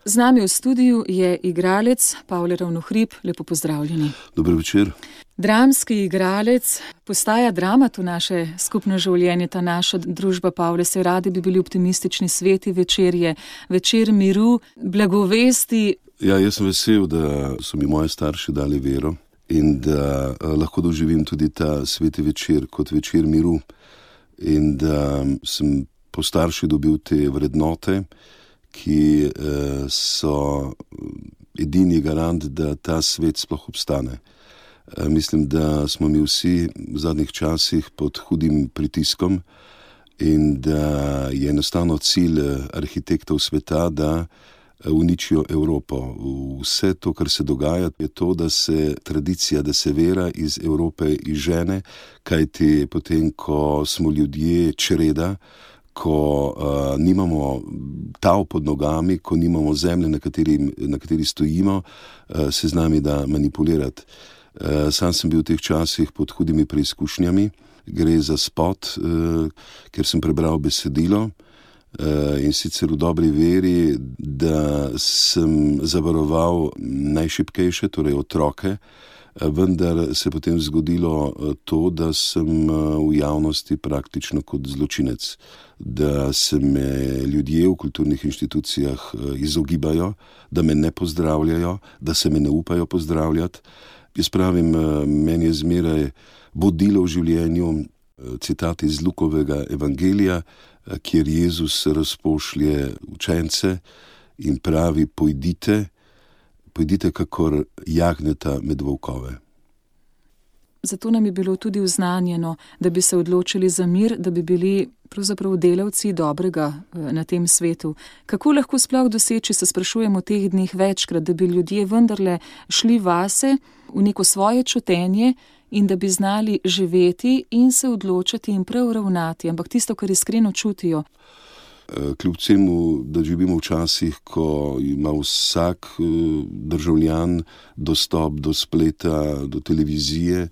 Z nami v studiu je igralec Pavle Ravnohrib. Lepo pozdravljeni. Dober večer. Dramski igralec, postaja dramat v naše skupno življenje, ta naša družba, Pavle, se radi bi bili optimistični, sveti večer je, večer miru, blagovesti. Ja, jaz sem vesel, da so mi moji starši dali vero in da lahko doživim tudi ta sveti večer kot večer miru in da sem po starši dobil te vrednote, ki so edini garant, da ta svet sploh obstane. Mislim, da smo mi vsi v zadnjih časih pod hudim pritiskom in da je enostavno cilj arhitektov sveta, da uničijo Evropo. Vse to, kar se dogaja, je to, da se tradicija, da se vera iz Evrope izžene, kajti potem, ko smo ljudje čreda, ko nimamo tal pod nogami, ko nimamo zemlje, na kateri stojimo, se z nami da manipulirati. Sam sem bil v teh časih pod hudimi preizkušnjami. Gre za spot, ker sem prebral besedilo in sicer v dobri veri, da sem zavaroval najšibkejše, torej otroke, vendar se je potem zgodilo to, da sem v javnosti praktično kot zločinec, da se me ljudje v kulturnih inštitucijah izogibajo, da me ne pozdravljajo, da se me ne upajo pozdravljati. Jaz pravim, meni je zmeraj vodilo v življenju citat iz Lukovega evangelija, kjer Jezus razpošlje učence in pravi, pojdite kakor jagnjeta med volkove. Zato nam je bilo tudi vznanjeno, da bi se odločili za mir, da bi bili pravzaprav delavci dobrega na tem svetu. Kako lahko sploh doseči, se sprašujemo v teh dneh večkrat, da bi ljudje vendarle šli vase v neko svoje čutenje in da bi znali živeti in se odločati in prav ravnati, ampak tisto, kar iskreno čutijo. Kljub temu, da živimo v časih, ko ima vsak državljan dostop do spleta, do televizije,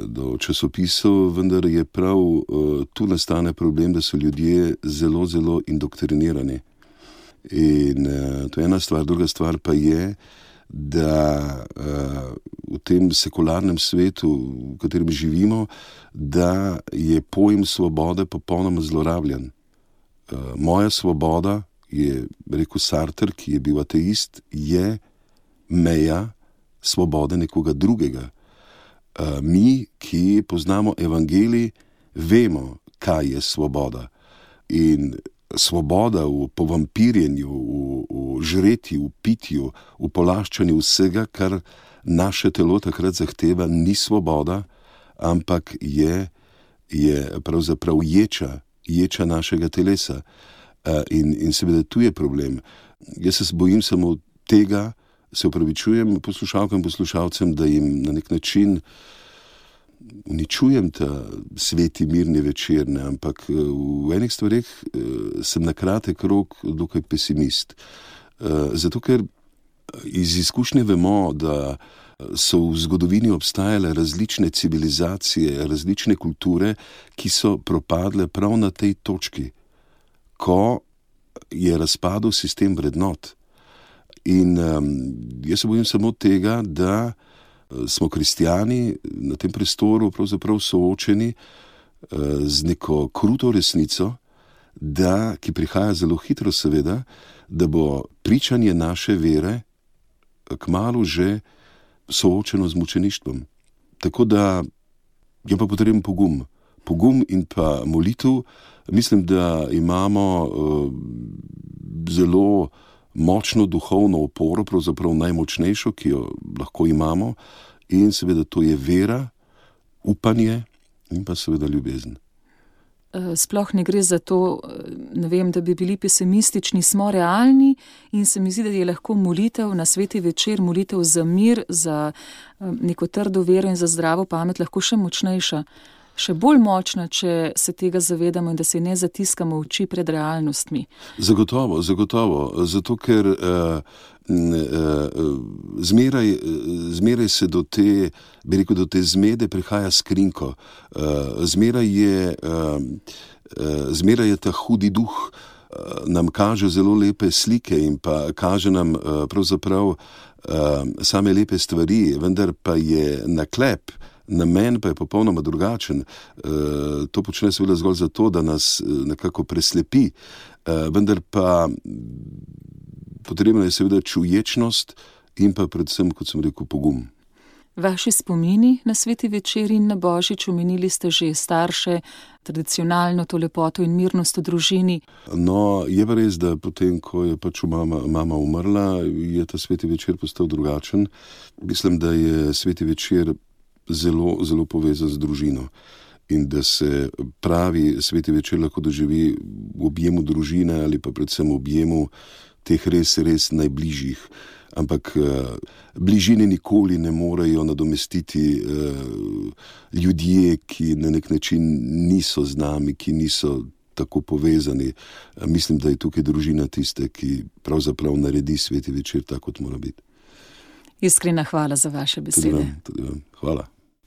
do časopisov, vendar je prav tu nastane problem, da so ljudje zelo, zelo indoktrinirani. In to je ena stvar, druga stvar pa je, da v tem sekularnem svetu, v katerem živimo, da je pojem svobode popolnoma zlorabljen. Moja svoboda, je rekel Sartre, ki je bil ateist, je meja svobode nekoga drugega. Mi, ki poznamo evangelij, vemo, kaj je svoboda. In svoboda v povampirjenju, v žretju, v pitju, v polaščanju vsega, kar naše telo takrat zahteva, ni svoboda, ampak je pravzaprav ječa našega telesa. In seveda tu je problem. Jaz se bojim samo tega, se opravičujem poslušalkam, poslušalcem, da jim na nek način uničujem ta sveti mirni večer, ampak v enih stvareh sem na kratek rok dokaj pesimist. Zato, ker iz izkušnje vemo, da so v zgodovini obstajale različne civilizacije, različne kulture, ki so propadle prav na tej točki, ko je razpadel sistem vrednot. In jaz se bojim samo tega, da smo kristjani na tem prostoru pravzaprav soočeni z neko kruto resnico, ki prihaja zelo hitro seveda, da bo pričanje naše vere kmalu že soočeno z mučeništvom. Tako da je pa potreben pogum in pa molitev. Mislim, da imamo zelo močno duhovno oporo, pravzaprav najmočnejšo, ki jo lahko imamo, in seveda to je vera, upanje in pa seveda ljubezen. Sploh ne gre za to, da bi bili pesimistični, smo realni in se mi zdi, da je lahko molitev na sveti večer, molitev za mir, za neko trdo vero in za zdravo pamet lahko še močnejša, še bolj močna, če se tega zavedamo in da se ne zatiskamo oči pred realnostmi. Zagotovo, zato ker zmeraj se do te zmede prihaja s krinko. Zmeraj je ta hudi duh nam kaže zelo lepe slike in pa kaže nam pravzaprav same lepe stvari, vendar pa je naklep, namen pa je popolnoma drugačen. To počne seveda zgolj zato, da nas nekako preslepi, vendar pa potrebna je seveda čuječnost in pa predvsem, kot sem rekel, pogum. Vaši spomini na sveti večer in na božič, omenili ste že starše, tradicionalno to lepoto in mirnost v družini. No, je pa res, da potem, ko je pač mama umrla, je ta sveti večer postal drugačen. Mislim, da je sveti večer zelo, zelo povezan z družino in da se pravi sveti večer lahko doživi v objemu družine ali pa predvsem v objemu teh res, res najbližjih. Ampak bližine nikoli ne morejo nadomestiti ljudje, ki na nek način niso z nami, ki niso tako povezani. Mislim, da je tukaj družina tiste, ki pravzaprav naredi sveti večer tako, kot mora biti. Iskrena hvala za vaše besede. Tudi vam. Hvala.